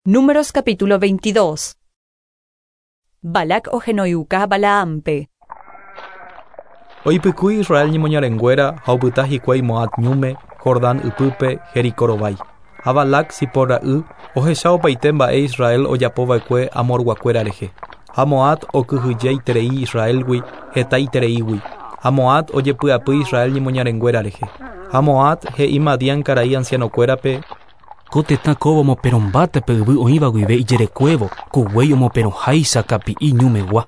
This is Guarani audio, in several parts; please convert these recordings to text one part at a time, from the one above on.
Números capítulo 22. Balac ohenoiuka Balaampe. Oipykúi Israel ñemoñarenguéra ha opyta hikuái Moab ñúme, Jordán ypýpe, Jericó rovái. Ha Balac, Zipor ra'y, ohecha opaite mba'e Israel ojapova'ekue Amorguakuéra rehe. Ha Moab okyhyjeiterei Israélgui hetaitereígui, ha Moab ojepy'apy Israel ñemoñarenguéra rehe. Ha Moab he'i Madián karai ancianokuérape, Ko tetã kóva omoperõmbáta pe yvy oĩva guive ijerekuévo, ku guéi omoperõháicha kapi'i ñumegua.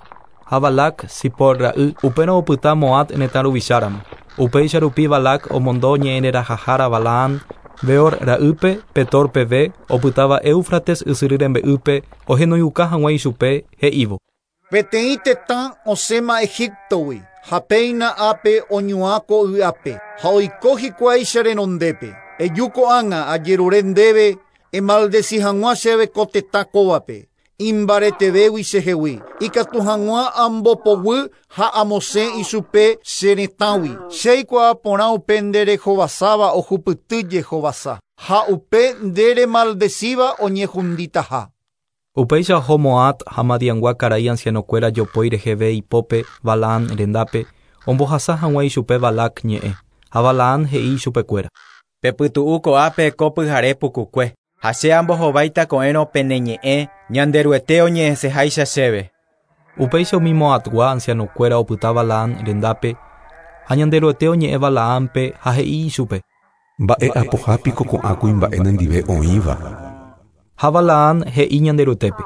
Ha Balac, Zipor ra'y, upérõ opyta Moab retã ruvicháramo. Upéicha rupi Balac omondo ñe'ẽrerahahára Balaam, Beor ra'ýpe, Petor peve, opytáva Éufrates ysyry rembe'ýpe, ohenoiuka hag̃ua ichupe, he'ívo. Peteĩ tetã osẽma Egiptogui, ha péina ápe oñuã ko y'ape, ha oiko hikuái che renondépe. Eju ko'ág̃a ajerure ndéve emaldeci hag̃ua chéve ko tetã kóvape, imbaretevégui chehegui, ikatu hag̃ua ambopoguy ha amosẽ ichupe che retãgui. Che aikuaa porã upe nde rehovasáva ohupyty jehovasa, ha upe nde remaldecíva oñehunditaha. Upéicha oho Moab ha Madiangua karai ancianokuéra jopói reheve ipópe Balaam rendápe, ombohasa hag̃ua ichupe Balac ñe'ẽ. Ha Balaam he'i ichupekuéra. Pepytu'u ko'ápe ko pyhare pukukue, ha che ambohováita ko'ẽrõ pene ñe'ẽ Ñanderuete oñe'ẽseháicha chéve. Upéicha umi Moabgua ancianokuéra opyta Balaam rendápe, ha Ñanderuete oñe'ẽ Balaampe ha he'i ichupe. Mba'e apohápiko ko'ã kuimba'e nendive oĩva. Ha Balaam he'i Ñanderuetépe.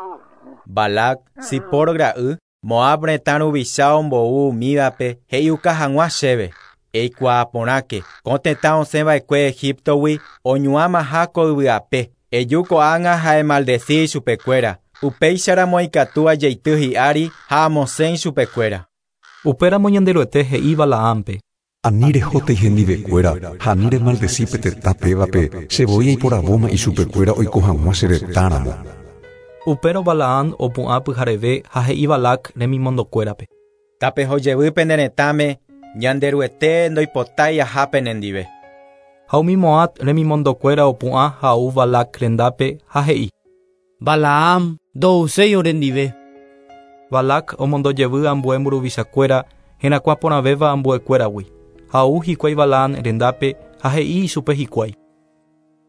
Balac, Zipor ra'y, Moab retã ruvicha ombou umívape he'iuka hag̃ua chéve. Eikuaa porãke, ko tetã osẽva'ekue Egiptogui oñuãmaha ko yvy'ape. Eju ko'ág̃a ha emaldeci ichupekuéra. Upéicharamo ikatu ajeity hi'ári ha amosẽ ichupekuéra. Upéramo Ñanderuete he'i Balaampe. Ani rehótei hendivekuéra ha ani remaldeci pe tetã pévape, che voi aiporavóma ichupekuéra oiko hag̃ua che retãramo. Upérõ Balaam opu'ã pyhareve ha he'i Balac remimondokuérape. Tapehojevy pene retãme, Ñanderuete ndoipotái aha penendive. Ha umi Moab remimondokuéra opu'ã ha ou Balac rendápe ha he'i. Balaam ndouséi orendive. Balac omondojevy ambue mburuvichakuéra herakuã porãvéva ambuekuéragui. Ha ou hikuái Balaam rendápe ha he'i ichupe hikuái.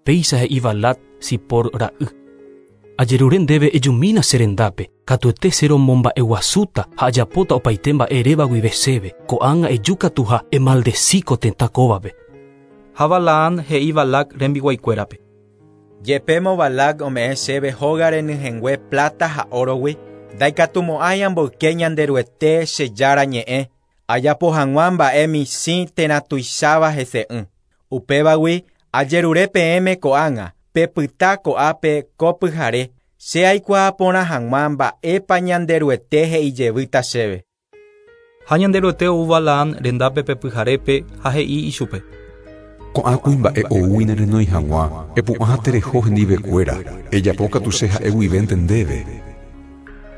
Péicha he'i Balac Zipor ra'y. Ajerure ndéve ejumína che rendápe, katuete che romomba'eguasúta ha ajapóta opaite mba'e eréva guive chéve, ko'ág̃a eju katu ha emaldeci ko tetã kóvape. Ha Balaam he'i Balac rembiguaikuérape. Jepémo Balac ome'ẽ chéve hóga renyhẽngue plata ha órogui, ndaikatumo'ãi amboyke Ñanderuete che Jára ñe'ẽ, ajapo hag̃ua mba'e michĩ térã tuicháva hese'ỹ. Upévagui ajerure peẽme ko'ág̃a, pepyta ko'ápe ko pyhare, che aikuaa porã hag̃ua mba'épa Ñanderuete he'ijevýta chéve. Ha Ñanderuete ou Balaam rendápe pe pyharépe ha he'i ichupe. Ko'ã kuimba'e oúgui nerenói hag̃ua, epu'ã ha tereho hendivekuéra, ejapo katu che ha'e guivénte ndéve.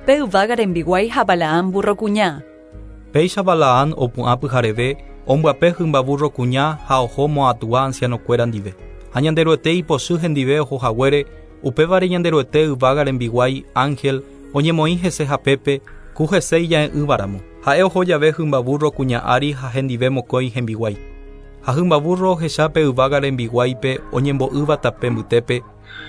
Pe yvága rembiguái ha Balaam burro kuña. Péicha Balaam opu'ã pyhareve, ombyape hymba burro kuña ha oho Moabgua ancianokuéra ndive. Ha Ñanderuete ipochy hendive oho haguére, upévare Ñanderuete yvága rembiguái ángel oñemoĩ hese hapépe, ku hese ija'e'ỹvaramo. Ha'e oho jave hymba burro kuña ári ha hendive mokõi hembiguái. Ha hymba burro ohecha pe yvága rembiguáipe oñembo'ýva tape mbytépe,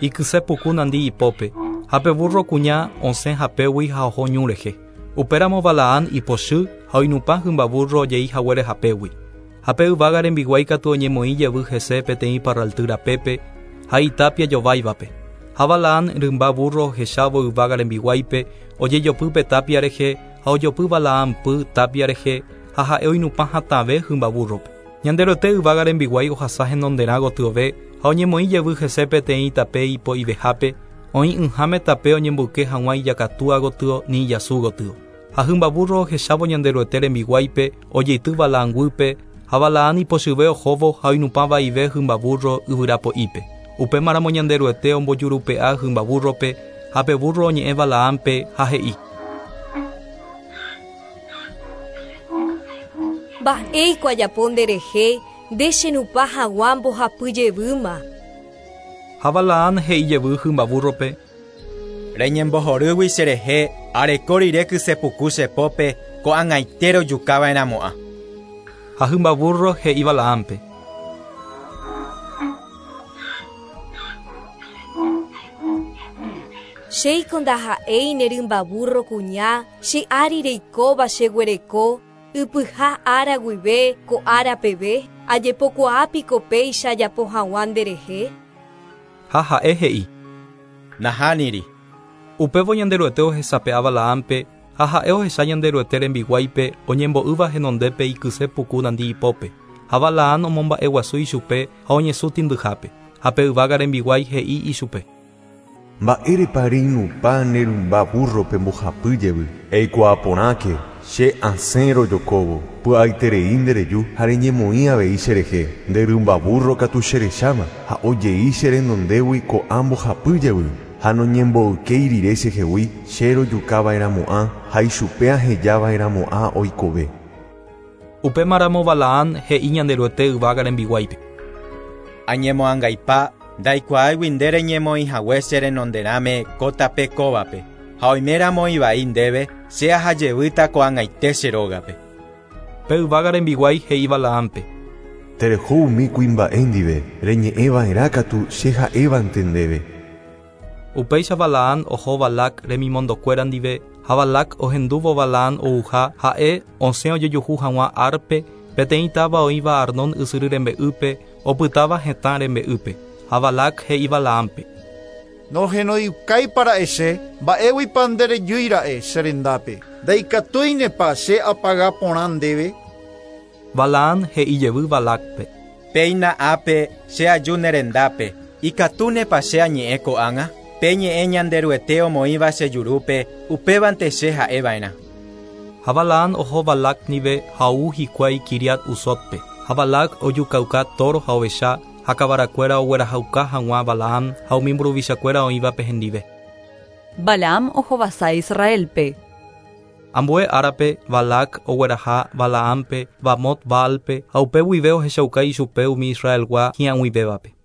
ikyse puku nandi ipópe, ha pe burro kuña osẽ hapégui ha oho ñu rehe. Upéramo Balaam ipochy ha oinupã hymba burro ojei haguére hapégui. Ha pe yvága rembiguái katu oñemoĩ jevy hese peteĩ parralty rapépe ha itápia jováivape. Ha Balaam rymba burro ohechávo yvága rembiguáipe ojejopy pe tápia rehe ha ojopy Balaam py tápia rehe ha ha'e oinupã hatãve hymba burrope. Ñanderuete yvága rembiguái ohasa henonderã gotyove ha oñemoĩ jevy hese peteĩ tape ipo'ivehápe, oĩ'ỹháme tape oñemboyke hag̃ua ijakatúa gotyo ni ijasu gotyo. Ha hymba burro ohechávo Ñanderuete rembiguáipe ojeity Balaam guýpe ha Balaam ipochyve ohóvo ha oinupã vaive hymba burro yvyrapo'ípe. Upémaramo Ñanderuete ombojurupe'a hymba burrope ha pe burro oñe'ẽ Balaampe ha he'i. Mba'éiko ajapo nderehe, nde chenupã hag̃ua mbohapy jevýma. Ha Balaam he'i jevy hymba burrope. Reñembohorýgui cherehe areko rire kysepuku chepópe ko'ag̃aite rojukava'erãmo'ã. Ha hymba burro he'i Balaampe. Chéiko ndaha'éi ne rymba burro kuña che ári reikóva cheguereko ypyha ára guive ko ára peve ajepokuaápiko péicha ajapo hag̃ua nderehe. Ha ha'e he'i. Nahániri. Upévo Ñanderuete ohesape'a Balaampe ha ha'e ohecha Ñanderuete rembiguáipe oñembo'ýva henondépe ikyse puku nandi ipópe. Ha Balaam omomba'eguasu ichupe ha oñesũ tĩndyhápe. Ha pe yvága rembiguái he'i ichupe. Mba'érepa reinupã ne rymba burrope mbohapy jevy. Eikuaa porãke che asẽ rojokóvo. Py'aiterei ndereju ha reñemoĩ avei cherehe. Nde rymba burro katu cherecháma ha ojei che renondégui ko'ã mbohapy jevy. Ha noñemboykéi rire chehegui che rojukava'erãmo'ã ha ichupe ahejava'erãmo'ã oikove. Upémaramo Balaam he'i Ñanderuete yvága rembiguáipe. Añemoangaipa ndaikuaáigui nde reñemoĩhague che renonderãme ko tape kóvape ha oiméramo ivai ndéve che ahajevýta ko'ag̃aite che rógape. Pe yvága rembiguái he'i Balaampe. Tereho umi kuimba'e ndive reñe'ẽva'erã katu che ha'évante ndéve. Upéicha Balaam oho Balac remimondokuéra ndive ha Balac ohendúvo Balaam ouha ha'e osẽ ojejuhu hag̃ua Arpe peteĩ táva oĩva Arnón ysyry rembe'ýpe opytáva hetã rembe'ýpe. Ha Balac he'i Balaampe. Nohenoiukáipara'e che mba'éguipa nderejýira'e che rendápe. Ndaikatúinepa che apaga porã ndéve. Balaam he'i jevy Balacpe. Péina ápe che aju ne rendápe ikatúnepa che añe'ẽ ko'ág̃a pe ñe'ẽ Ñanderuete omoĩva che jurúpe upévante che ha'eva'erã. Ha Balaam oho Balac ndive ha ou hikuái Kiriat Usotpe. Ha Balac ojukauka toro ha ovecha ha kavarakuéra oguerahauka hag̃ua Balaam ha umi mburuvichakuéra oĩvape hendive. Balaam ohovasa Israelpe. Ambue árape Balac ogueraha Balaampe Bamot Baalpe ha upe guive ohechauka ichupe umi Israelgua hi'ag̃uivévape.